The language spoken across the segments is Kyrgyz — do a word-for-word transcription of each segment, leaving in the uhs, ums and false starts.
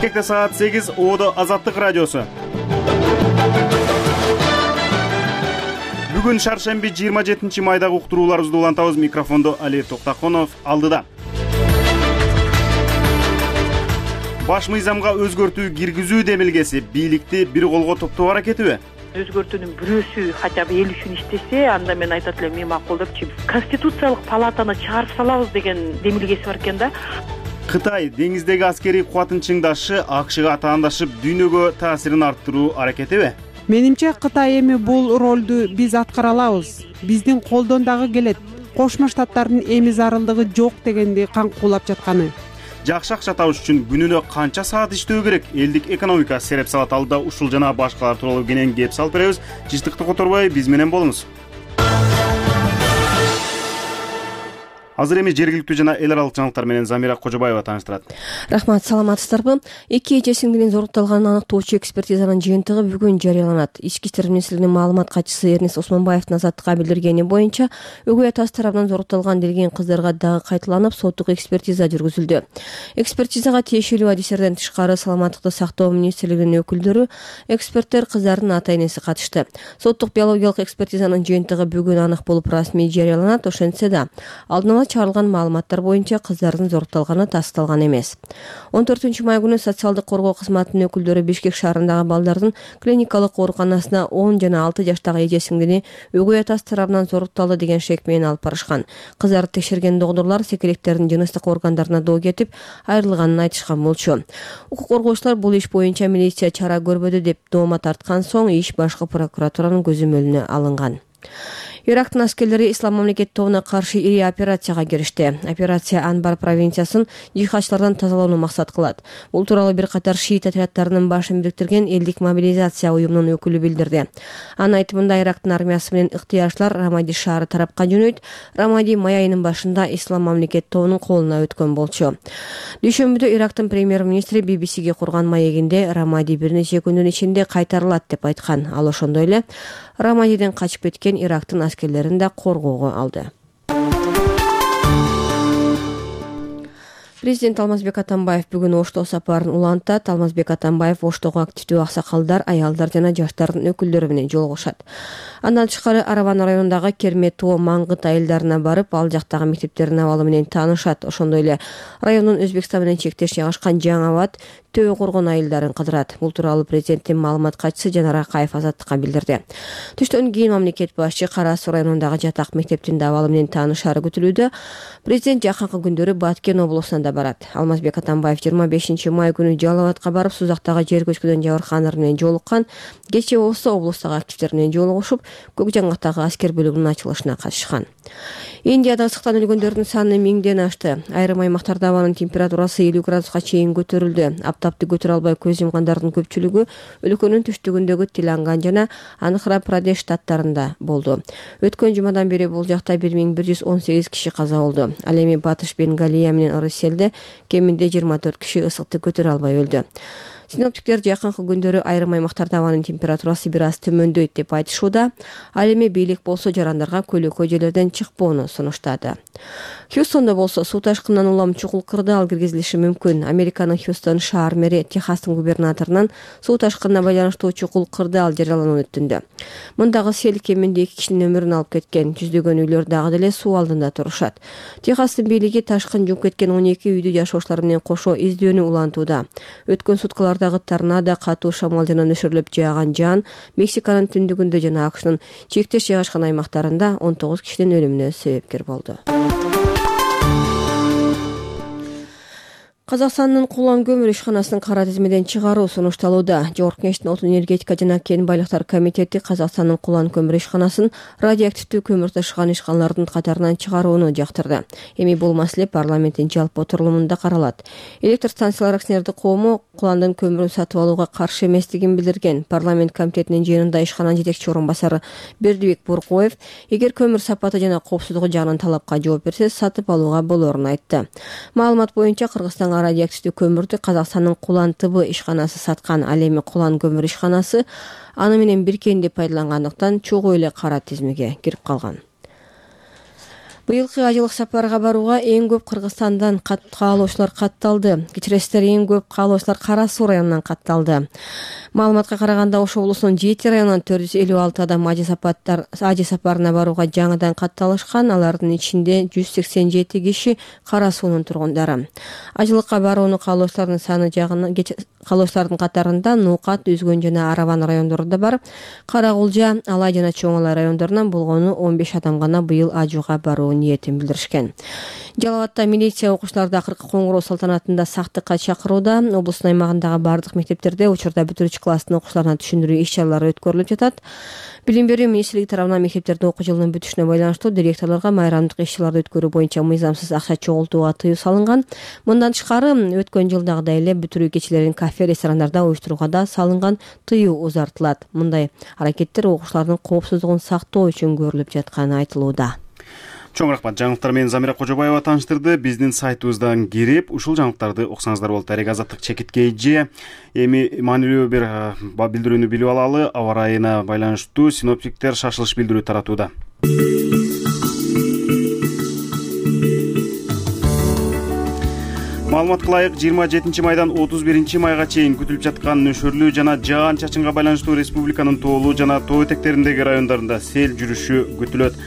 Бишкекте саат сегиз, Оодо Азаттык радиосу. Бүгүн шаршемби жыйырма жетинчи майдагы уктурууларыбызды улантабыз. Микрофондо Али Токтаконов алдыда. Баш мыйзамга өзгөртүү киргизүү демилгеси бийликти бир колго топтоо аракетиби? Өзгөртүүнүн бирөөсү хотя бы эл үчүн иштесе, анда мен айтат элем, мен макулдапчы. Конституциялык палатаны чыгарып салабыз деген демилгеси бар экен да. Кытай деңиздеги аскерий кубатын чыңдашы АКШга таандашып, дүйнөгө таасирин арттыруу аракетиби? Менимче Кытай эми бул ролду биз аткара алабыз. Биздин колдон дагы келет. Кошмо Штаттардын эми зарылдыгы жок дегенди каңкуулап жатканы. Жакшы акча табыш үчүн күнүнө канча саат иштөө керек? Элдик экономика сереп салат алдыда ушул жана башкалар тууралуу кенен кеп салып беребиз. Жыштыкты которбой биз менен болуңуз. Азыр эми жергиликтүү жана эл аралык жаңылыктар менен Замира Кожобаева тааныштырат. Рахмат, саламатсыздарбы? Эки эже сиңдинин зорукталганын аныктоочу экспертизанын жыйынтыгы бүгүн жарыяланат. Ички иштер министрлигинин маалымат катчысы Эрнест Осмонбаевдин Азаттыкка билдиргени боюнча, өгөй атасы тарабынан зорукталган делген кыздарга дагы кайталанып, соттук экспертиза жүргүзүлдү. Экспертизага тиешелүү адистерден тышкары саламаттыкты сактоо министрлигинин өкүлдөрү, эксперттер, кыздардын ата-энеси катышты. Соттук биологиялык экспертизанын жыйынтыгы бүгүн анык болуп расмий жарыяланат. Ошентсе да, алдын ала чыгарылган маалыматтар боюнча кыздардын зорукталганы тасталган эмес. он төртүнчү май күнү социалдык коргоо кызматынын өкүлдөрү Бишкек шаарындагы балдардын клиникалык ооруканасына он жана алты жаштагы эже сиңдини өгөй атасы тарабынан зорукталды деген шек менен алып барышкан. Кыздарды текшерген докторлор секелектердин жыныстык органдарына доо кетип, айрылганын айтышкан болчу. Укук коргоочулар бул иш боюнча милиция чара көрбөдү деп доoma тарткан соң иш башкы прокуратуранын көзөмөлүнө алынган. Ирактын аскерлери Ислам мамлекет тобуна каршы ири операцияга киришти. Операция Анбар провинциясын жихадчылардан тазалоону максат кылат. Бул тууралуу бир катар шиит отряддарынын башын бириктирген элдик мобилизация уюмунун өкүлү билдирди. Анын айтымында Ирактын армиясы менен ыктыярчылар Рамади шаары тарапка жөнөйт. Рамади май айынын башында Ислам мамлекет тобунун колуна өткөн болчу. Дүйшөмбүдө Ирактын премьер-министри би би сиге курган маегинде Рамади бир нече күндүн ичинде кайтарылат деп айткан. Ал ошондой эле Рамадиден качып кеткен Ирактын аскерлерин да коргоого алды. Президент Алмазбек Атамбаев бүгүн Оштоо сапарын улантат. Алмазбек Атамбаев Оштого активдүү аксакалдар, аялдар жана жаштардын өкүлдөрү менен жолугушат. Андан тышкары Араван районундагы Керметоо, Маңгыт айылдарына барып, ал жактагы мектептердин абалы менен таанышат. Ошондой эле райондун Өзбекстан менен чектеш жайгашкан Жаңы Абад, Төө Коргон айылдарын кыдырат. Бул тууралуу президенттин маалымат катчысы Жанар Акаев Азаттыкка билдирди. Түштөн кийин мамлекет башчы Кара Суу районундагы жатак мектептин абалы менен таанышары күтүлүүдө. Президент жакынкы күндөрү Баткен облусуна барат. Алмазбек Атамбаев жыйырма бешинчи май күнү Жалал Абадка барып, Сузактагы жер көчкүдөн Жабыркандар менен жолуккан. Кечээ болсо облустагы активдер менен жолугушуп, Көк Жаңгактагы аскер бөлүгүнүн ачылышына катышкан. Индияда ысыктан өлгөндөрдүн саны миңден ашты. Айрым аймактарда абанын температурасы элүү градуска чейин көтөрүлдү. Аптапты көтөрө албай көз жумгандардын көпчүлүгү өлкөнүн түштүгүндөгү Теланган жана Андхра-Прадеш штаттарында болду. Өткөн жумадан бери бул жакта бир миң бир жүз он сегиз киши каза болду. Ал эми Батыш Бенгалия менен Ырыс-Селде кеминде жыйырма төрт киши ысыкты көтөрө албай өлдү. Синоптиктер жакынкы күндөрү айрым аймактарда абанын температурасы бир аз төмөндөйт деп айтышууда. Ал эми бийлик болсо жарандарга көлөкө жерлерден чыкпоону сунуштады. Хьюстонда болсо суу ташкынынан улам чукул кырдаал киргизилиши мүмкүн. Американын Хьюстон шаар мэри Техастын губернаторунан суу ташкынына байланыштуу чукул кырдаал жарыяланууну өтүндү. Мындагы сел кеминде эки кишинин өмүрүн алып кеткен. Жүздөгөн үйлөр дагы деле суу алдында турушат. Техастын бийлиги ташкын жууп кеткен он эки үйдү жашоочулар менен кошо издөөнү улантууда. Өткөн суткаларда торнадо, катуу шамал жана нөшөрлөп жааган жаан Мексиканын түндүгүндө жана АКШнын чектеш жайгашкан аймактарында он тогуз кишинин өлүмүнө себепкер болду. Казакстандын Кулан көмүр ишканасын кара тизмеден чыгаруу сунушталууда. Жогорку Кеңештин отун энергетика жана кен байлыктар комитети Казакстандын Кулан көмүр ишканасын радиоактивдүү көмүр ташыган ишканалардын катарынан чыгарууну жактырды. Эми бул маселе парламенттин жалпы отурумунда каралат. Электр станциялар акционердик коому Куландын көмүрүн сатып алууга каршы эместигин билдирген. Парламент комитетинин жыйынында ишкананын жетекчи орун басары Бердибек Буркоев эгер көмүр сапаты жана коопсуздугу жагынан талапка жооп берсе, сатып алууга болоорун айтты. Маалымат боюнча Кыргызстанга радиоактивдүү көмүрдү Казакстандын Кулан Т Б ишканасы саткан. Ал эми Кулан көмүр ишканасы аны менен биркенди пайдалангандыктан чогуу эле кара тизмеге кирип калган. Быйылкы ажылык сапарга барууга эң көп Кыргызстандан каалоочулар катталды. Кечиресиздер, эң көп каалоочулар Кара Суу районунан катталды. Маалыматка караганда, Ош облусунун жети районунан төрт жүз элүү алты адам ажы сапарына барууга жаңыдан катталышкан. Алардын ичинде жүз сексен жети киши Кара Суунун тургундары. Ажылыкка барууну каалоочулардын саны жагынан каалоочулардын катарында Нуукат, Үзгөн жана Араван райондору да бар. Каракулжа, Алай жана Чоң Алай райондорунан болгону он беш адам гана быйыл ажууга баруу ниетин билдиришкен. Жалал Абадта милиция окуучуларды акыркы коңгуроо салтанатында сактыкка чакырууда. Облустун аймагындагы бардык мектептерде учурда бүтүрүүчү класстын окуучуларына түшүндүрүү иш-чаралары өткөрүлүп жатат. Билим берүү министрлиги тарабынан мектептерде окуу жылынын бүтүшүнө байланыштуу директорлорго майрамдык иш-чараларды өткөрүү боюнча мыйзамсыз акча чогултууга тыюу салынган. Мындан тышкары, өткөн жылдагыдай эле бүтүрүү кечелерин кафе, ресторандарда уюштурууга да салынган тыюу узартылат. Мындай аракеттер окуучулардын коопсуздугун сактоо үчүн көрүлүп жатканы айтылууда. Чоң рахмат. Жаңылыктар менен Замира Кожобаева тааныштырды. Биздин сайтыбыздан кирип, ушул жаңылыктарды окусаңыздар болот. Дарек Азаттык чекиткей же эми маанилүү бир билдирүүнү билип алалы. Аба ырайына байланыштуу синоптиктер шашылыш билдирүү таратууда. Маалыматка ылайык, жыйырма жетинчи майдан отуз биринчи майга чейин күтүлүп жаткан нөшөрлүү жана жаан-чачынга байланыштуу республиканын тоолуу жана тоо этектериндеги райондарында сел жүрүшү күтүлөт.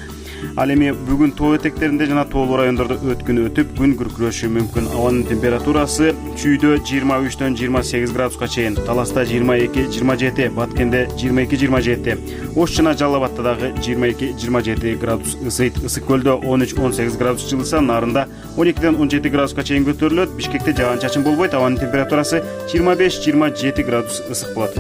Ал эми бүгүн тоо этектеринде жана тоолуу райондордо өткүн өтүп, күн күркүрөшү мүмкүн. Абанын температурасы Чүйдө жыйырма үчтөн жыйырма сегиз градуска чейин, Таласта жыйырма эки жыйырма жети, Баткенде жыйырма эки жыйырма жети, Ош жана Жалал Абадта дагы жыйырма эки жыйырма жети градус ысыйт. Ысык көлдө он үч он сегиз градус жылыса, Нарында он экиден он жети градуска чейин көтөрүлөт. Бишкекте жаан-чачын болбойт. Абанын температурасы жыйырма беш жыйырма жети градус ысык болот.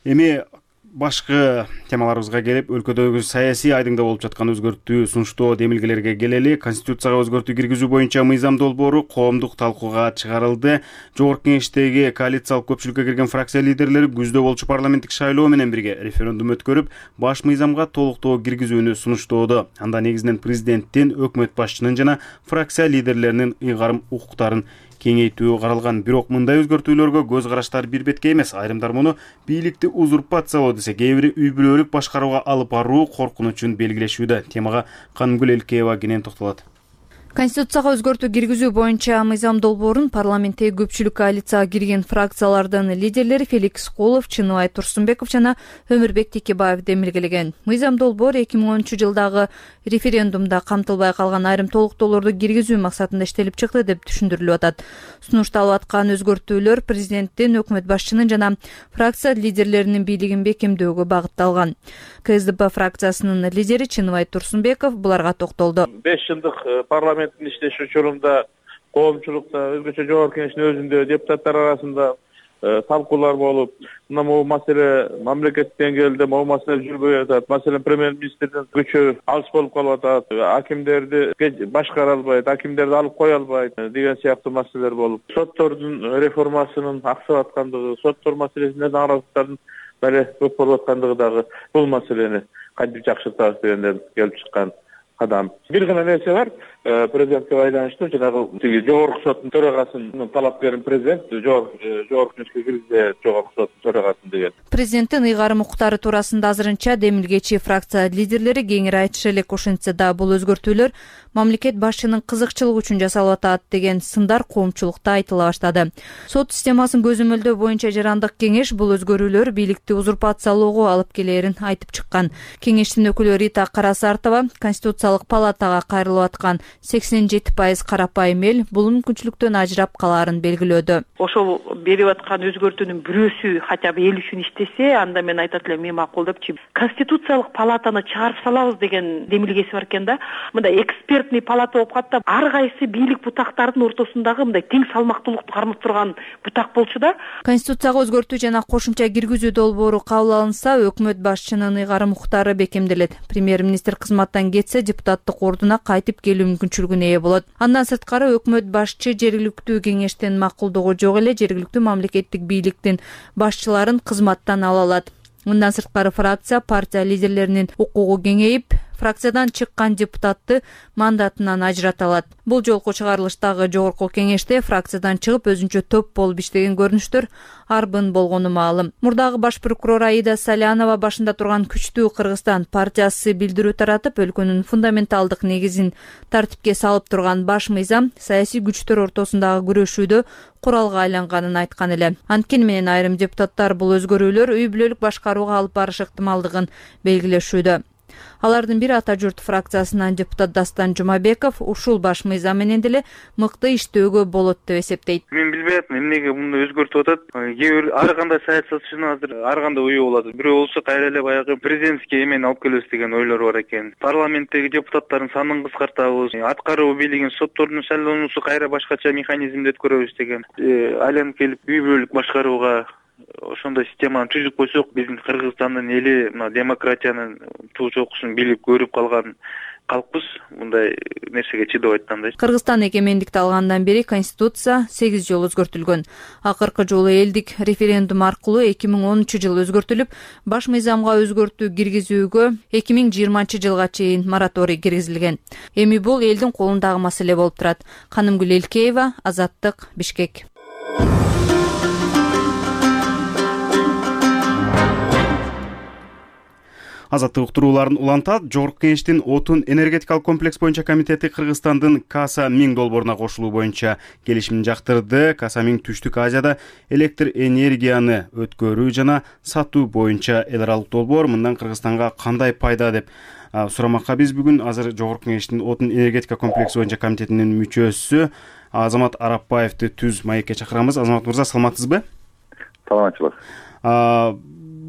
Эми башкы темаларыбызга келип, өлкөдөгү саясий айдыңда болуп жаткан өзгөртүү сунуштоо демилгелерге келели. Конституцияга өзгөртүү киргизүү боюнча мыйзам долбоору коомдук талкууга чыгарылды. Жогорку Кеңештеги коалициялык көпчүлүккө кирген фракция лидерлери күздө болчу парламенттик шайлоо менен бирге референдум өткөрүп, баш мыйзамга толуктоо киргизүүнү сунуштоодо. Анда негизинен президенттин, өкмөт башчынын жана фракция лидерлеринин ыйгарым укуктарын кеңейтүү каралган. Бирок мындай өзгөртүүлөргө көз караштар бир бетке эмес. Айрымдар муну бийликти узурпациялоо десе, кээ бири үй бүлөлүк башкарууга алып баруу коркунучун белгилешүүдө. Темага Канымгүл Элкеева кенен токтолот. Конституцияга өзгөртүү киргизүү боюнча мыйзам долбоорун парламенттеги көпчүлүк коалицияга кирген фракциялардын лидерлери Феликс Кулов, Чыныбай Турсунбеков жана Өмүрбек Текебаев демилгелеген. Мыйзам долбоор эки миң онунчу жылдагы референдумда камтылбай калган айрым толуктоолорду киргизүү максатында иштелип чыкты деп түшүндүрүлүп атат. Сунушталып аткан өзгөртүүлөр президенттин, өкмөт башчынын жана фракция лидерлеринин бийлигин бекемдөөгө багытталган. КСДП фракциясынын лидери Чыныбай Турсунбеков буларга токтолду. беш жылдык парламенттин иштеши учурунда коомчулукта, өзгөчө жогорку кеңештин өзүндө депутаттар арасында талкуулар болуп, мына могу маселе мамлекеттик деңгээлде могу маселе жүрбөй атат. Маселен премьер-министрдин күчү алыс болуп калып атат. Акимдерди башкара албайт, акимдерди алып кое албайт деген сыяктуу маселелер болуп, соттордун реформасынын аксап аткандыгы, соттор маселесинде наразылыктардын бери көп болуп аткандыгы дагы бул маселени кантип жакшыртабыз дегенден келип чыккан кадам. Бир гана нерсе бар, президентке байланыштуу, жанагы тиги жогорку соттун төрагасынын талапкерин президент жогорку кеңешке киргизе, жогорку соттун төрагасын деген. Президенттин ыйгарым укуктары туурасында азырынча демилгечи фракция лидерлери кеңири айтыша элек. Ошентсе да бул өзгөртүүлөр мамлекет башчынын кызыкчылыгы үчүн жасалып атат деген сындар коомчулукта айтыла баштады. Сот системасын көзөмөлдөө боюнча жарандык кеңеш бул өзгөрүүлөр бийликти узурпациялоого алып келээрин айтып чыккан. Кеңештин өкүлү Рита Карасартова Конституциялык палатага кайрылып аткан сексен жети пайыз карапайым эл бул мүмкүнчүлүктөн ажырап калаарын белгилөөдө. Ошол берип аткан өзгөртүүнүн бирөөсү хотя бы эл үчүн иштесе, анда мен айтат элем, мен макул депчи. Конституциялык палатаны чыгарып салабыз деген демилгеси бар экен да. Мындай экспертный палата болуп калат, ар кайсы бийлик бутактардын ортосундагы мындай тең салмактуулукту кармап турган бутак болчу да. Конституцияга өзгөртүү жана кошумча киргизүү долбоору кабыл алынса, өкмөт башчынын ыйгарым укуктары бекемделет. Премьер-министр кызматтан кетсе, депутаттык ордуна кайтып келүү мүмкүнчүлүгүнө ээ болот. Андан сырткары өкмөт башчы жергиликтүү кеңештин макулдугу жок эле жергиликтүү мамлекеттик бийликтин башчыларын кызматтан ала алат. Мындан сырткары фракция партия лидерлеринин укугу кеңейип, фракциядан чыккан депутатты мандатынан ажырата алат. Бул жолку чыгарылыштагы жогорку кеңеште фракциядан чыгып өзүнчө топ болуп иштеген көрүнүштөр арбын болгону маалым. Мурдагы баш прокурор Аида Салянова башында турган күчтүү Кыргызстан партиясы билдирүү таратып, өлкөнүн фундаменталдык негизин тартипке салып турган баш мыйзам саясий күчтөр ортосундагы күрөшүүдө куралга айланганын айткан эле. Анткени менен айрым депутаттар бул өзгөрүүлөр үй бүлөлүк башкарууга алып барыш ыктымалдыгын белгилешүүдө. Алардын бири Ата журт фракциясынан депутат Дастан Жумабеков ушул баш мыйзам менен деле мыкты иштөөгө болот деп эсептейт. Мен билбей атам эмнеге муну өзгөртүп атат. Кээ бир ар кандай саясатчынын азыр ар кандай ою болот. Бирөө болсо кайра эле баягы президентский эмени алып келебиз деген ойлору бар экен. Парламенттеги депутаттардын санын кыскартабыз, аткаруу бийлигин соттордун шайлоонусу кайра башкача механизмде өткөрөбүз деген. Айланып келип үй бүлөлүк башкарууга ошондой системаны түзүп койсок, биздин Кыргызстандын эли мына демократиянын туу чокусун билип көрүп калган калкпыз. Мындай нерсеге чыдабайт да. Кыргызстан эгемендикти алгандан бери конституция сегиз жолу өзгөртүлгөн. Акыркы жолу элдик референдум аркылуу эки миң онунчу жылы өзгөртүлүп, баш мыйзамга өзгөртүү киргизүүгө эки миң жыйырманчы жылга чейин мораторий киргизилген. Эми бул элдин колундагы маселе болуп турат. Канымгүл Элкеева, Азаттык, Бишкек. Азаттык уктурууларын улантат. Жогорку кеңештин отун энергетикалык комплекс боюнча комитети Кыргызстандын Каса миң долбооруна кошулуу боюнча келишимин жактырды. Каса миң Түштүк Азияда электр энергияны өткөрүү жана сатуу боюнча эл аралык долбоор. Мындан Кыргызстанга кандай пайда деп сурамакка биз бүгүн азыр Жогорку кеңештин отун энергетика комплекси боюнча комитетинин мүчөсү Азамат Арапбаевди түз маекке чакырамыз. Азамат мырза, саламатсызбы? Саламатчылык.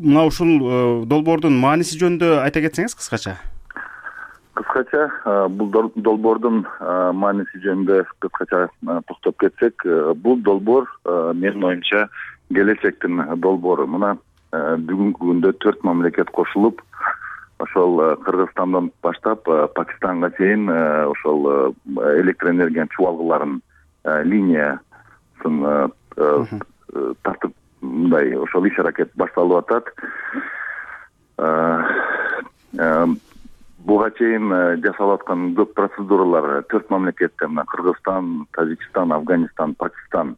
Мына ушул долбоордун мааниси жөнүндө айта кетсеңиз кыскача. Кыскача бул долбоордун мааниси жөнүндө кыскача токтоп кетсек, бул долбоор менин оюмча келечектин долбоору. Мына бүгүнкү күндө төрт мамлекет кошулуп, ошол Кыргызстандан баштап Пакистанга чейин ошол электр энергиянын чубалгыларын линиясын тартып мындай ошол иш аракет башталып атат. Буга чейин жасалып аткан көп процедуралар төрт мамлекетте, мына Кыргызстан, Тажикстан, Афганистан, Пакистан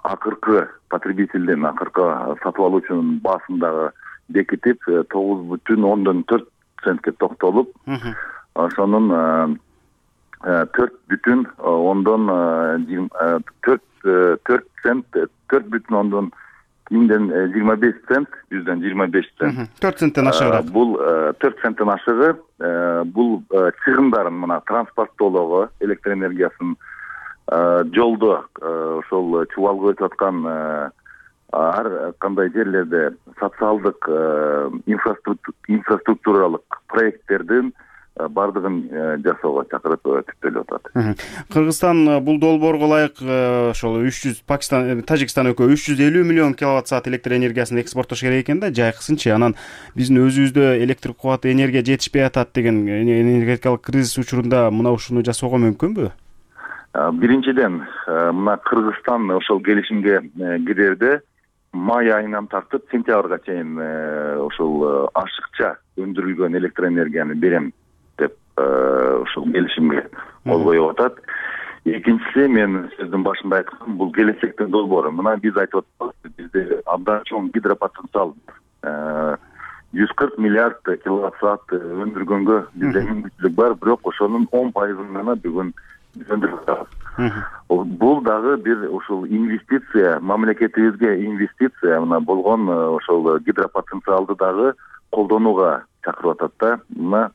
акыркы потребителдин, акыркы сатып алуучунун баасын дагы бекитип, тогуз бүтүн ондон төрт центке токтолуп, ошонун төрт бүтүн ондон төрт төрт цент төрт бүтүн ондон миңден жыйырма беш цент, жүздөн жыйырма беш цент. төрт центтен ашыгыраак. Бул төрт центтен ашыгы. Бул чыгымдарын мына транспорттоолого, электр энергиясын жолдо ошол чубалга өтүп аткан ар кандай жерлерде социалдык инфраструктуралык проекттердин бардыгын жасоого чакырып түптөлүп атат. Кыргызстан бул долбоорго ылайык ошол үч жүз, Пакистан, Тажикстан экөө үч жүз элүү миллион киловатт саат электр энергиясын экспорттош керек экен да, жайкысынчы. Анан биздин өзүбүздө электр кубаты, энергия жетишпей атат деген энергетикалык кризис учурунда мына ушуну жасоого мүмкүнбү? Биринчиден, мына Кыргызстан ошол келишимге кирерде май айынан тартып сентябрга чейин ошол ашыкча өндүрүлгөн электр энергияны берем деп ошол келишимге кол коюп атат. Экинчиси, мен сөздүн башында айткам, бул келечектин долбоору. Мына биз айтып атабыз, бизде абдан чоң гидропотенциал жүз кырк миллиард киловатт саат өндүргөнгө бизде мүмкүнчүлүк бар, бирок ошонун он пайызын гана бүгүн өндүрүп атабыз. Бул дагы бир ушул инвестиция, мамлекетибизге инвестиция мына болгон ошол гидропотенциалды дагы колдонууга чакырып атат да. Мына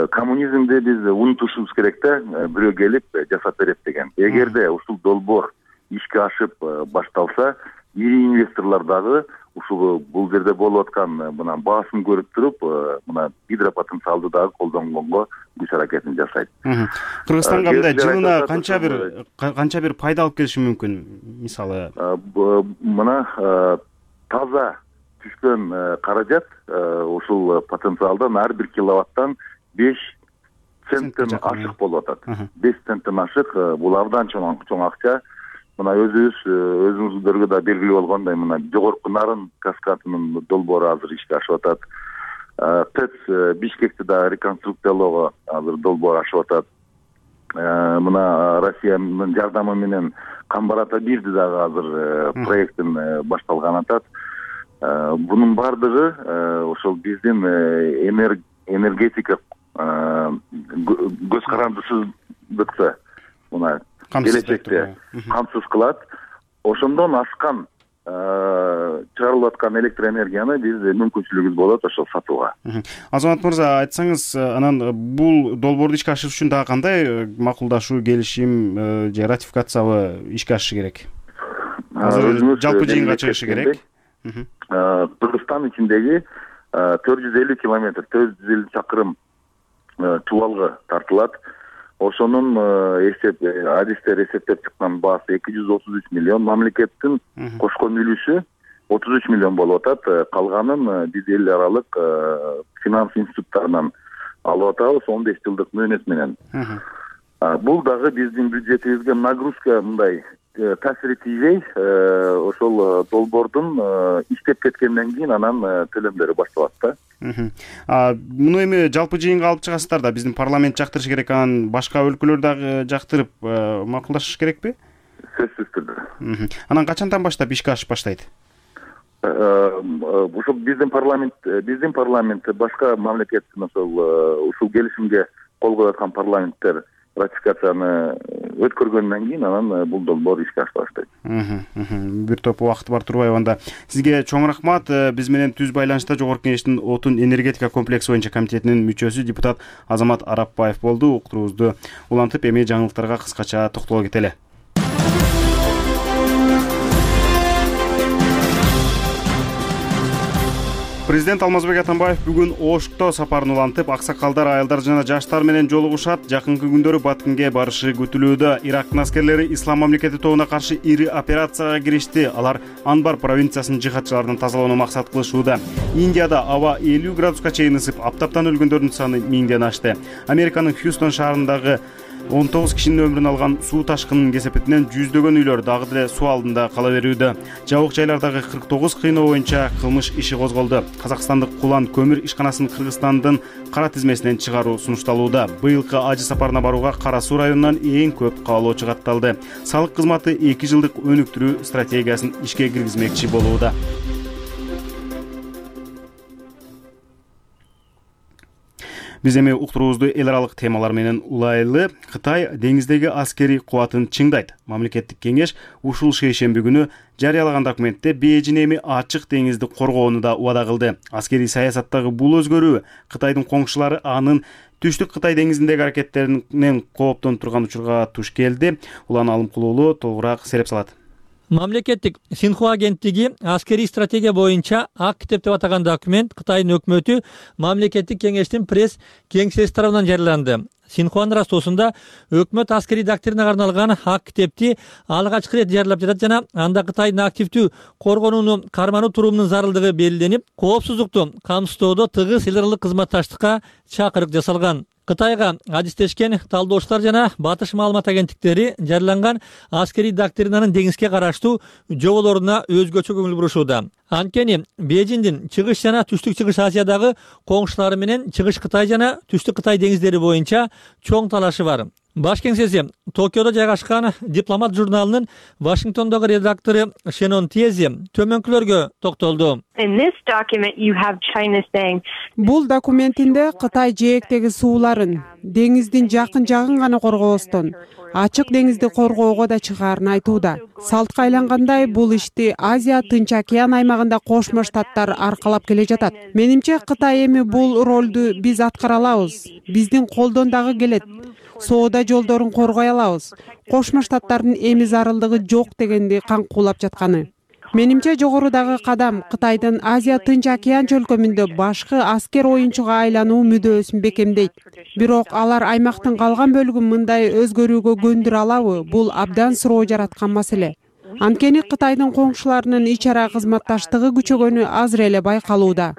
коммунизмди биз унутушубуз керек да, бирөө келип жасап берет деген. Эгерде ушул долбоор ишке ашып башталса, ири инвесторлор дагы ушул бул жерде болуп аткан мына баасын көрүп туруп, мына гидропотенциалды дагы колдонгонго күч аракетин жасайт. Кыргызстанга мындай жылына канча бир канча бир пайда алып келиши мүмкүн? Мисалы, мына таза түшкөн каражат ушул потенциалдан ар бир киловаттан беш центтен ашык болуп атат. беш центтен ашык, бул абдан чоң чоң акча. Мына өзүбүз өзүңүздөргө да белгилүү болгондой, мына жогорку нарын каскадынын долбоору азыр ишке ашып атат. тэц Бишкекти дагы реконструкциялоого азыр долбоор ашып атат. Мына Россиянын жардамы менен Камбар ата бирди дагы азыр проекттин башталганы атат. Бунун баардыгы ошол биздин энергетика көз карандысыздыкты мына келечекте камсыз кылат. Ошондон аскан чыгарылып аткан электроэнергияны биз мүмкүнчүлүгүбүз болот ошол сатууга. Азамат мырза, айтсаңыз, анан бул долбоорду ишке ашырыш үчүн дагы кандай макулдашуу, келишим же ратификациябы ишке ашышы керек? Азыр жалпы жыйынга чыгышы керек. Кыргызстан ичиндеги төрт жүз элүү километр, төрт жүз элүү чакырым чубалгы тартылат. Ошонун эсеп адистер эсептеп чыккан баасы эки жүз отуз үч миллион, мамлекеттин кошкон үлүшү отуз үч миллион болуп атат. Калганын биз эл аралык финанс институттарынан алып атабыз он беш жылдык мөөнөт менен. Бул дагы биздин бюджетибизге нагрузка мындай таасир тийбей, ошол долбоордун иштеп кеткенден кийин анан төлөмдөрү башталат да. Муну эми жалпы жыйынга алып чыгасыздар да, биздин парламент жактырыш керек, анан башка өлкөлөр дагы жактырып макулдашыш керекпи? Сөзсүз түрдө. Анан качандан баштап ишке ашып баштайт? Ошол биздин парламент, биздин парламент башка мамлекеттин ошол ушул келишимге кол коюп аткан парламенттер ратификацияны өткөргөндөн кийин анан бул долбоор ишке ашып баштайт. Бир топ убакыт бар Турбаева. Анда сизге чоң рахмат. Биз менен түз байланышта Жогорку Кеңештин отун энергетика комплекси боюнча комитетинин мүчөсү депутат Азамат Арапбаев болду. Уктуруубузду улантып, эми жаңылыктарга кыскача токтоло кетели. Президент Алмазбек Атамбаев бүгүн Ошто сапарын улантып, аксакалдар, аялдар жана жаштар менен жолугушат. Жакынкы күндөрү Баткенге барышы күтүлүүдө. Ирактын аскерлери Ислам мамлекети тобуна каршы ири операцияга киришти. Алар Анбар провинциясынын жихадчыларынан тазалоону максат кылышууда. Индияда аба элүү градуска чейин ысып, аптаптан өлгөндөрдүн саны миңден ашты. Американын Хьюстон шаарындагы он тогуз кишинин өмүрүн алган суу ташкынынын кесепетинен жүздөгөн үйлөр дагы деле суу алдында кала берүүдө. Жабык жайлардагы кырк тогуз кыйноо боюнча кылмыш иши козголду. Казакстандык Кулан көмүр ишканасын Кыргызстандын кара тизмесинен чыгаруу сунушталууда. Быйылкы ажы сапарына барууга Кара Суу районунан эң көп каалоочу катталды. Салык кызматы эки жылдык өнүктүрүү стратегиясын ишке киргизмекчи болууда. Биз эми уктуруубузду эл аралык темалар менен улайлы. Кытай деңиздеги аскерий кубатын чыңдайт. Мамлекеттик кеңеш ушул шейшемби күнү жарыялаган документте Бейжин эми ачык деңизди коргоону да убада кылды. Аскерий саясаттагы бул өзгөрүү Кытайдын коңшулары анын Түштүк Кытай деңизиндеги аракеттеринен кооптонуп турган учурга туш келди. Улан Алымкулуулу толугураак сереп салат. Мамлекеттик Синхуа агенттиги аскерий стратегия боюнча ак китеп деп атаган документ Кытайдын өкмөтү мамлекеттик кеңештин пресс кеңсеси тарабынан жарыяланды. Синхуанын растоосунда өкмөт аскерий доктринага арналган ак китепти алгачкы ирет жарыялап жатат жана анда Кытайдын активдүү коргонууну кармануу туруmunун зарылдыгы белгиленип, коопсуздукту камсыздоодо тыгыз эл аралык кызматташтыкка чакырык жасалган. Кытайга адистешкен талдоочулар жана батыш маалымат агенттиктери жарыяланган аскерий доктринанын деңизге караштуу жоболоруна өзгөчө көңүл бурушууда. Анткени Бейжиндин чыгыш жана түштүк чыгыш Азиядагы коңшулары менен чыгыш Кытай жана түштүк Кытай деңиздери боюнча чоң талашы бар. Баш кеңсеси Токиодо жайгашкан Дипломат журналынын Вашингтондогу редактору Шенон Тиези төмөнкүлөргө токтолду. Бул документинде Кытай жээктеги сууларын, деңиздин жакын жагын гана коргобостон, ачык деңизди коргоого да чыгаарын айтууда. Салтка айлангандай бул ишти Азия Тынч океан аймагында Кошмо Штаттар аркалап келе жатат. Менимче Кытай эми бул ролду биз аткара алабыз. Биздин колдон дагы келет. Соода жолдорун коргой алабыз. Кошмо Штаттардын эми зарылдыгы жок дегенди каңкуулап жатканы. Менимче жогорудагы кадам Кытайдын Азия Тынч океан чөлкөмүндө башкы аскер оюнчуга айлануу мүдөөсүн бекемдейт. Бирок алар аймактын калган бөлүгүн мындай өзгөрүүгө көндүрө алабы? Бул абдан суроо жараткан маселе. Анткени Кытайдын коңшуларынын ич ара кызматташтыгы күчөгөнү азыр эле байкалууда.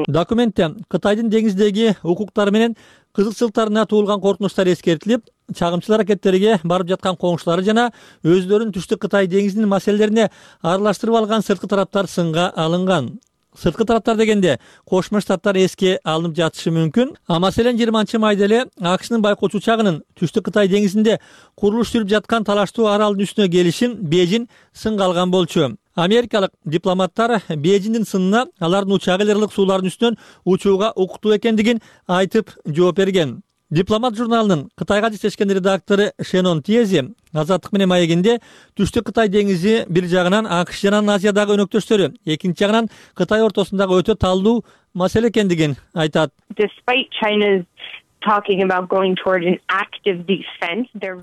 Документте Кытайдын деңиздеги укуктары менен кызыкчылыктарына туулган коркунучтар эскертилип, чагымчыл аракеттерге барып жаткан коңшулары жана өздөрүн Түштүк Кытай деңизинин маселелерине аралаштырып алган сырткы тараптар сынга алынган. Сырткы тараптар дегенде Кошмо Штаттар эске алынып жатышы мүмкүн. А маселен жыйырманчы майда эле АКШнын байкоочу учагынын Түштүк Кытай деңизинде курулуш жүрүп жаткан талаштуу аралдын үстүнө келишин Бейжин сынга алган болчу. Америкалык дипломаттар Бейжиндин сынына алардын учагы эл аралык суулардын үстүнөн учууга укуктуу экендигин айтып жооп берген. Дипломат журналынын Кытайга жетишкен редактору Шенон Тиези Азаттык менен маегинде Түштүк Кытай деңизи бир жагынан АКШ жана Азиядагы өнөктөштөрү, экинчи жагынан Кытай ортосундагы өтө талдуу маселе экендигин айтат.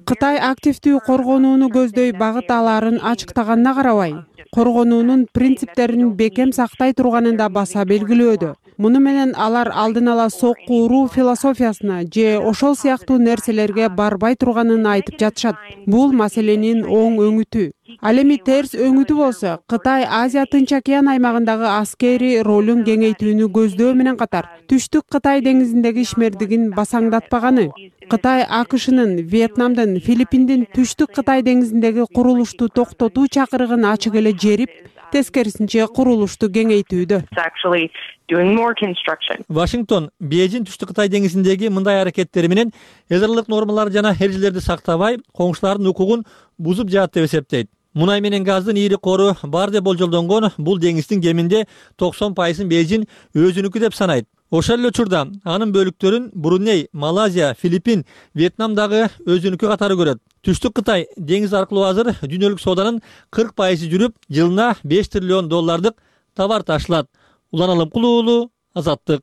Кытай активдүү коргонууну көздөй багыт аларын ачыктаганына карабай, коргонуунун принциптерин бекем сактай турганын да баса белгилөөдө. Муну менен алар алдын ала сокку уруу философиясына же ошол сыяктуу нерселерге барбай турганын айтып жатышат. Бул маселенин оң өңүтү. Ал эми терс өңүтү болсо, Кытай Азия Тынч океан аймагындагы аскери ролун кеңейтүүнү көздөө менен катар, Түштүк Кытай деңизиндеги ишмердигин басаңдатпаганы, Кытай АКШнын Вьетнамдын, Филиппиндин Түштүк Кытай деңизиндеги курулушту токтотуу чакырыгын ачык эле жерип, тескерисинче курулушту кеңейтүүдө. Вашингтон Бейжин Түштүк Кытай деңизиндеги мындай аракеттери менен эл аралык нормалар жана эрежелерди сактабай, коңшулардын укугун бузуп жатат деп эсептейт. Мунай менен газдын ийри кору бар деп болжолдонгон бул деңиздин кеминде токсон пайызын Бейжин өзүнүкү деп санайт. Ошол эле учурда анын бөлүктөрүн Бруней, Малайзия, Филиппин, Вьетнам дагы өзүнүкү катары көрөт. Түштүк Кытай деңиз аркылуу азыр дүйнөлүк сооданын кырк пайызы жүрүп, жылына беш триллион доллардык товар ташылат. Улан Алымкулуу уулу, Азаттык.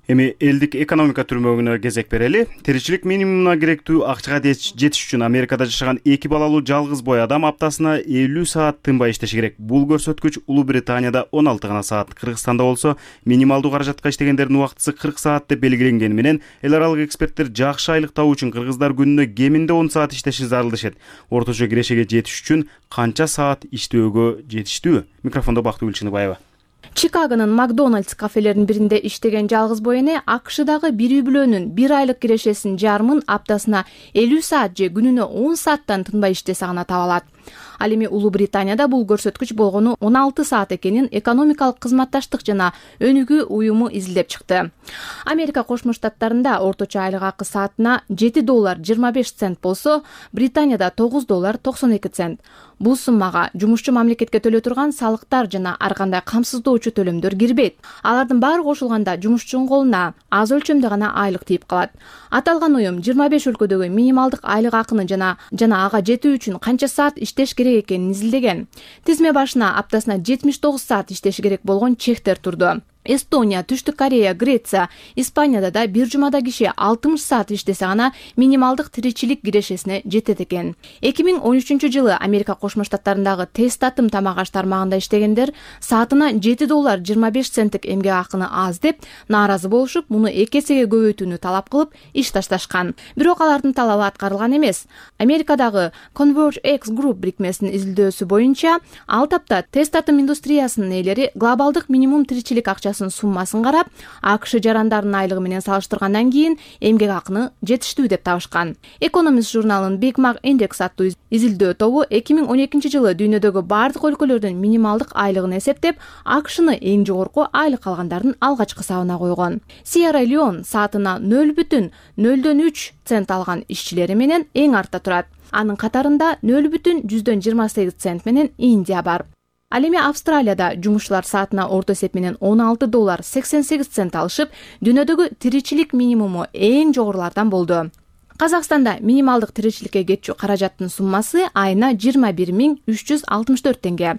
Эми элдик экономика түрмөгүнө кезек берели. Тиричилик минимумуна керектүү акчага жетиш үчүн Америкада жашаган эки балалуу жалгыз бой адам аптасына элүү саат тынбай иштеши керек. Бул көрсөткүч Улуу Британияда он алты гана саат, Кыргызстанда болсо минималдуу каражатка иштегендердин убактысы кырк саат деп белгиленгени менен, эл аралык эксперттер жакшы айлык табуу үчүн кыргыздар күнүнө кеминде он саат иштеши зарыл дешет. Орточо кирешеге жетиш үчүн канча саат иштөөгө жетиштүү? Микрофондо Бактыгүл Чыныбаева. Чикагонун Макдональдс кафелеринин биринде иштеген жалгыз бой эне АКШдагы бир үй бүлөнүн бир айлык кирешесин жарымын аптасына элүү саат же күнүнө он сааттан тынбай иштесе гана таба алат. Ал эми Улуу Британияда бул көрсөткүч болгону он алты саат экенин экономикалык кызматташтык жана өнүгүү уюму изилдеп чыкты. Америка Кошмо Штаттарында орточо айлык акы саатына жети доллар жыйырма беш цент болсо, Британияда тогуз доллар токсон эки цент. Бул суммага жумушчу мамлекетке төлөй турган салыктар жана ар кандай камсыздоочу төлөмдөр кирбейт. Алардын баары кошулганда жумушчунун колуна аз өлчөмдө гана айлык тийип калат. Аталган уюм жыйырма беш өлкөдөгү минималдык айлык акыны жана жана ага жетүү үчүн канча саат иштеш керек экенин изилдеген. Тизме башына аптасына жетимиш тогуз саат иштеши керек болгон чектер турду. Эстония, Түштүк Корея, Греция, Испанияда да бир жумада киши алтымыш саат иштесе гана минималдык тиричилик кирешесине жетет экен. эки миң он үчүнчү жылы Америка Кошмо Штаттарындагы тест татым тамак аш тармагында иштегендер саатына жети доллар жыйырма беш центтик эмгек акыны аз деп нааразы болушуп, муну эки эсеге көбөйтүүнү талап кылып иш ташташкан. Бирок алардын талабы аткарылган эмес. Америкадагы ConvergeX Group бирикмесинин изилдөөсү боюнча, ал тапта тест татым индустриясынын ээлери глобалдык минимум тиричилик акчасы суммасын карап, АКШ жарандарынын айлыгы менен салыштыргандан кийин эмгек акыны жетиштүү деп табышкан. Economist журналынын Big Mac Index аттуу изилдөө тобу эки миң он экинчи жылы дүйнөдөгү бардык өлкөлөрдүн минималдык айлыгын эсептеп, АКШны эң жогорку айлык алгандардын алгачкы сабына койгон. Сьерра Леон саатына нөл бүтүн нөлдөн үч цент алган ишчилери менен эң артта турат. Анын катарында нөл бүтүн жүздөн жыйырма сегиз цент менен Индия бар. Ал эми Австралияда жумушчулар саатына орто эсеп менен он алты доллар сексен сегиз цент алышып, дүйнөдөгү тиричилик минимуму эң жогорулардан болду. Казакстанда минималдык тиричиликке кетчү каражаттын суммасы айына жыйырма бир миң үч жүз алтымыш төрт теңге.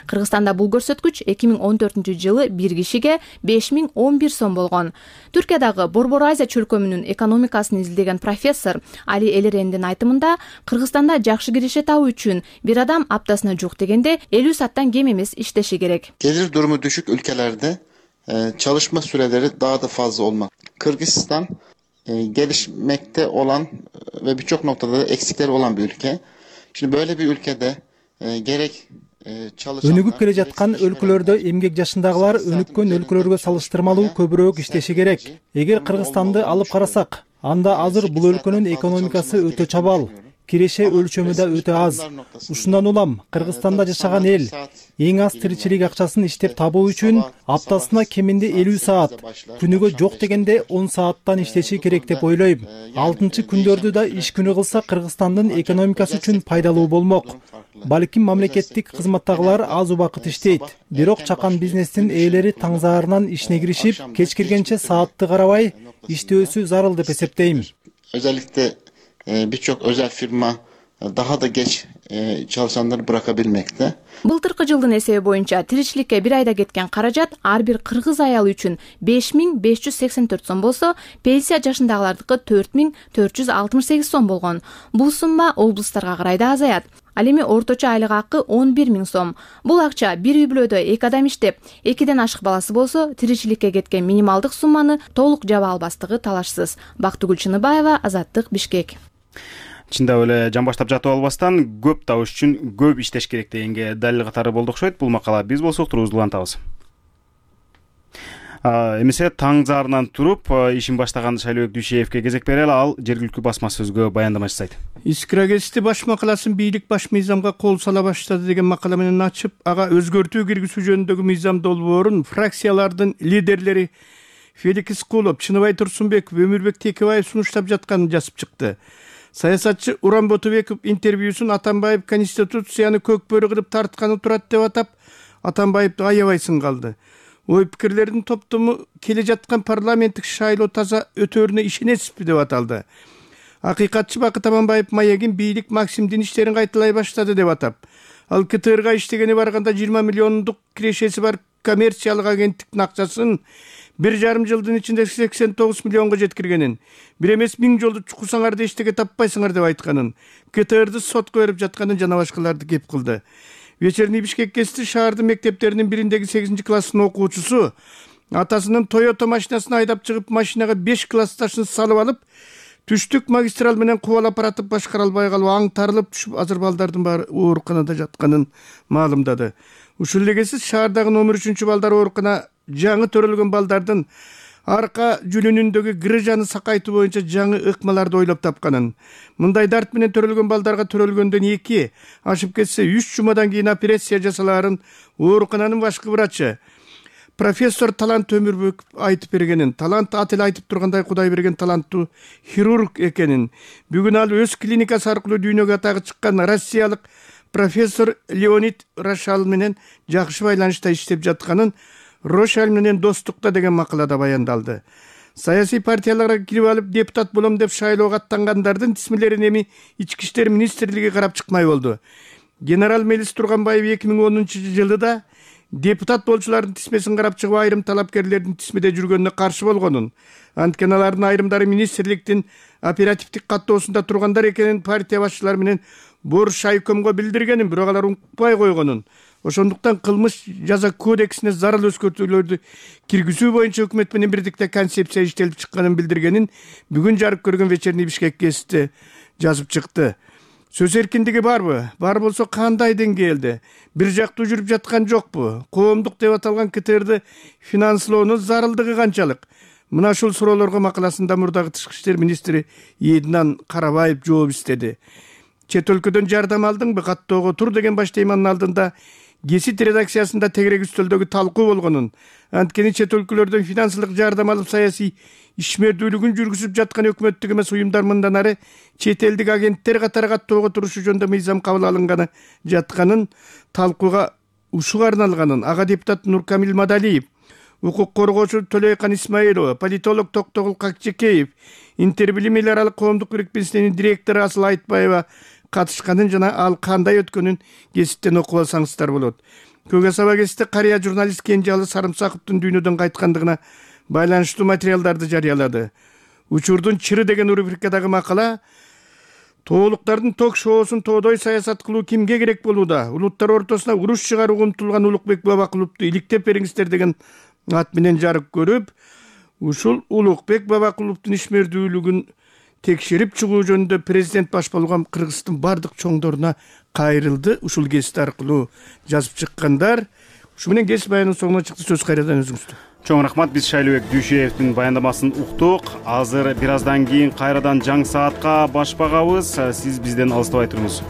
Кыргызстанда бул көрсөткүч эки миң он төртүнчү жылы бир кишиге беш миң он бир сом болгон. Түркиядагы Борбор Азия чөлкөмүнүн экономикасын изилдеген профессор Али Элерендин айтымында, Кыргызстанда жакшы киреше табуу үчүн бир адам аптасына жук дегенде элүү сааттан кем эмес иштеши керек. Gelir durumu düşük ülkelerde e, çalışma süreleri daha da fazla olmak. Kırgızistan e, gelişmekte olan ve birçok noktada da eksikleri olan bir ülke. Şimdi böyle bir ülkede e, gerek өнүгүп келе жаткан өлкөлөрдө эмгек жашындагылар өнүккөн өлкөлөргө салыштырмалуу көбүрөөк иштеши керек. Эгер Кыргызстанды алып карасак, анда азыр бул өлкөнүн экономикасы өтө чабал, киреше өлчөмү да өтө аз. Ушундан улам Кыргызстанда жашаган эл эң аз тиричилик акчасын иштеп табуу үчүн аптасына кеминде элүү саат, күнүгө жок дегенде он сааттан иштеши керек деп ойлойм. Алтынчы күндөрдү да иш күнү кылса Кыргызстандын экономикасы үчүн пайдалуу болмок. Балким мамлекеттик кызматтагылар аз убакыт иштейт, бирок чакан бизнестин ээлери таңзаарынан ишине киришип, кеч киргенче саатты карабай иштөөсү зарыл деп эсептейм. Özellikle e, birçok özel firma e, daha da geç e, çalışanları bırakabilmekte. Былтыркы жылдын эсеби боюнча тиричиликке бир айда кеткен каражат ар бир кыргыз аялы үчүн беш миң беш жүз сексен төрт сом болсо, пенсия жашындагылардыкы төрт миң төрт жүз алтымыш сегиз сом болгон. Бул сумма облустарга карай да азаят. Ал эми орточо айлык акы он бир миң сом. Бул акча бир үй бүлөдө эки адам иштеп, экиден ашык баласы болсо, тиричиликке кеткен минималдык сумманы толук жаба албастыгы талашсыз. Бактыгүл Чыныбаева, Азаттык, Бишкек. Чындап эле жан баштап жатып албастан көп табыш үчүн көп иштеш керек дегенге далил катары болду окшойт. Бул макала биз болсок турубузду улантабыз. Эмесе таңзаарынан туруп ишин баштаган Шайлообек Дүйшеевке кезек берели, ал жергиликтүү басма сөзгө баяндама жасайт. Искирагести баш макаласын бийлик баш мыйзамга кол сала баштады деген макала менен ачып, ага өзгөртүү киргизүү жөнүндөгү мыйзам долбоорун фракциялардын лидерлери Феликс Кулов, Чыныбай Турсунбеков, Өмүрбек Текебаев сунуштап жатканын жазып чыкты. Саясатчы Уран Ботубеков интервьюсун Атамбаев конституцияны көкбөрү кылып тартканы турат деп атап, Атамбаевди аябай сынгалды. Ой пикирлердин топтому келе жаткан парламенттик шайлоо таза өтөрүнө ишенесизби деп аталды. Акыйкатчы Бакыт Аманбаев маегин бийлик Максимдин иштерин кайталай баштады деп атап, ал КТРга иштегени барганда жыйырма миллиондук кирешеси бар коммерциялык агенттиктин акчасын бир жарым жылдын ичинде сексен тогуз миллионго жеткиргенин, бир эмес миң жолду чукусаңарды эчтеке таппайсыңар деп айтканын, КТРды сотко берип жатканын жана башкаларды кеп кылды. Вечерний Бишкек кести шаардын мектептеринин бириндеги сегизинчи класстын окуучусу атасынын Toyota машинасын айдап чыгып, машинага беш классташын салып алып, түштүк магистраль менен кубалап баратып башкара албай калып, аңтарылып түшүп, азыр балдардын баары ооруканада жатканын маалымдады. Ушул элегесиз шаардагы номер үчүнчү балдар оорукана жаңы төрөлгөн балдардын арка жүлүнүндөгү грыжаны сакайтуу боюнча жаңы ыкмаларды ойлоп тапканын, мындай дарт менен төрөлгөн балдарга төрөлгөндөн эки, ашып кетсе үч жумадан кийин операция жасалаарын оорукананын башкы врачы профессор Талант Өмүрбеков айтып бергенин, Талант ат эле айтып тургандай Кудай берген таланттуу хирург экенин, бүгүн ал өз клиникасы аркылуу дүйнөгө атагы чыккан россиялык профессор Леонид Рошаль менен жакшы байланышта иштеп жатканын, Рошаль менен достукта деген макалада баяндалды. Саясий партияларга кирип алып депутат болом деп шайлоого аттангандардын тизмелерин эми Ички иштер министрлиги карап чыкмай болду. Генерал Мелис Турганбаев эки миң онунчу жылда депутат болчулардын тизмесин карап чыгып, айрым талапкерлердин тизмеде жүргөнүнө каршы болгонун, анткени алардын айрымдары министрликтин оперативдик каттоосунда тургандар экенин партия башчылары менен Бор Шайкомго билдиргенин, бирок алар укпай койгонун, ошондуктан кылмыш жаза кодексине зарыл өзгөртүүлөрдү киргизүү боюнча өкмөт менен бирдикте концепция иштелип чыкканын билдиргенин бүгүн жарык көргөн Вечерний Бишкек гезити жазып чыкты. Сөз эркиндиги барбы? Бар болсо кандай деңгээлде? Бир жактуу жүрүп жаткан жокпу? Коомдук деп аталган КТРды финанслоонун зарылдыгы канчалык? Мына ушул суроолорго макаласында мурдагы тышкы иштер министри Эдинан Карабаев жооп издеди. Чет өлкөдөн жардам алдыңбы? Каттоого тур деген баш теманын алдында гезит редакциясында тегерек үстөлдөгү талкуу болгонун, анткени чет өлкөлөрдөн финансылык жардам алып саясий ишмердүүлүгүн жүргүзүп жаткан өкмөттүк эмес уюмдар мындан ары чет элдик агенттер катары каттоого турушу жөнүндө мыйзам кабыл алынганы жатканын, талкууга ушуга арналганын ага депутат Нуркамил Мадалиев, укук коргоочу Төлөйкан Исмаилова, политолог Токтогул Какчекеев, Интербилим эл аралык коомдук бирикмесинин директору Асыл Айтбаева катышканын жана ал кандай өткөнүн гезиттен окуп алсаңыздар болот. Көкө Саба гезити карыя журналист Кенжалы Сарымсаковдун дүйнөдөн кайткандыгына байланыштуу материалдарды жарыялады. Учурдун чыры деген рубрикадагы макала тоолуктардын ток шоусун тоодой саясат кылуу кимге керек болууда? Улуттар ортосуна уруш чыгарууга умтулган Улукбек Бабакуловду иликтеп бериңиздер деген ат менен жарык көрүп, ушул Улукбек Бабакуловдун ишмердүүлүгүн текшерип чыгуу жөнүндө президент баш болгон Кыргыздын бардык чоңдоруна кайрылды. Ушул кесип аркылуу жазып чыккандар. Ушу менен кесип аянын соңуна чыкты. Сөз кайрадан өзүңүздө. Чоң рахмат. Биз Шайлообек Дүйшеевдин баяндамасын уктук. Азыр бир аздан кийин кайрадан жаңы саатка баш багабыз. Сиз бизден алыстабай туруңуз.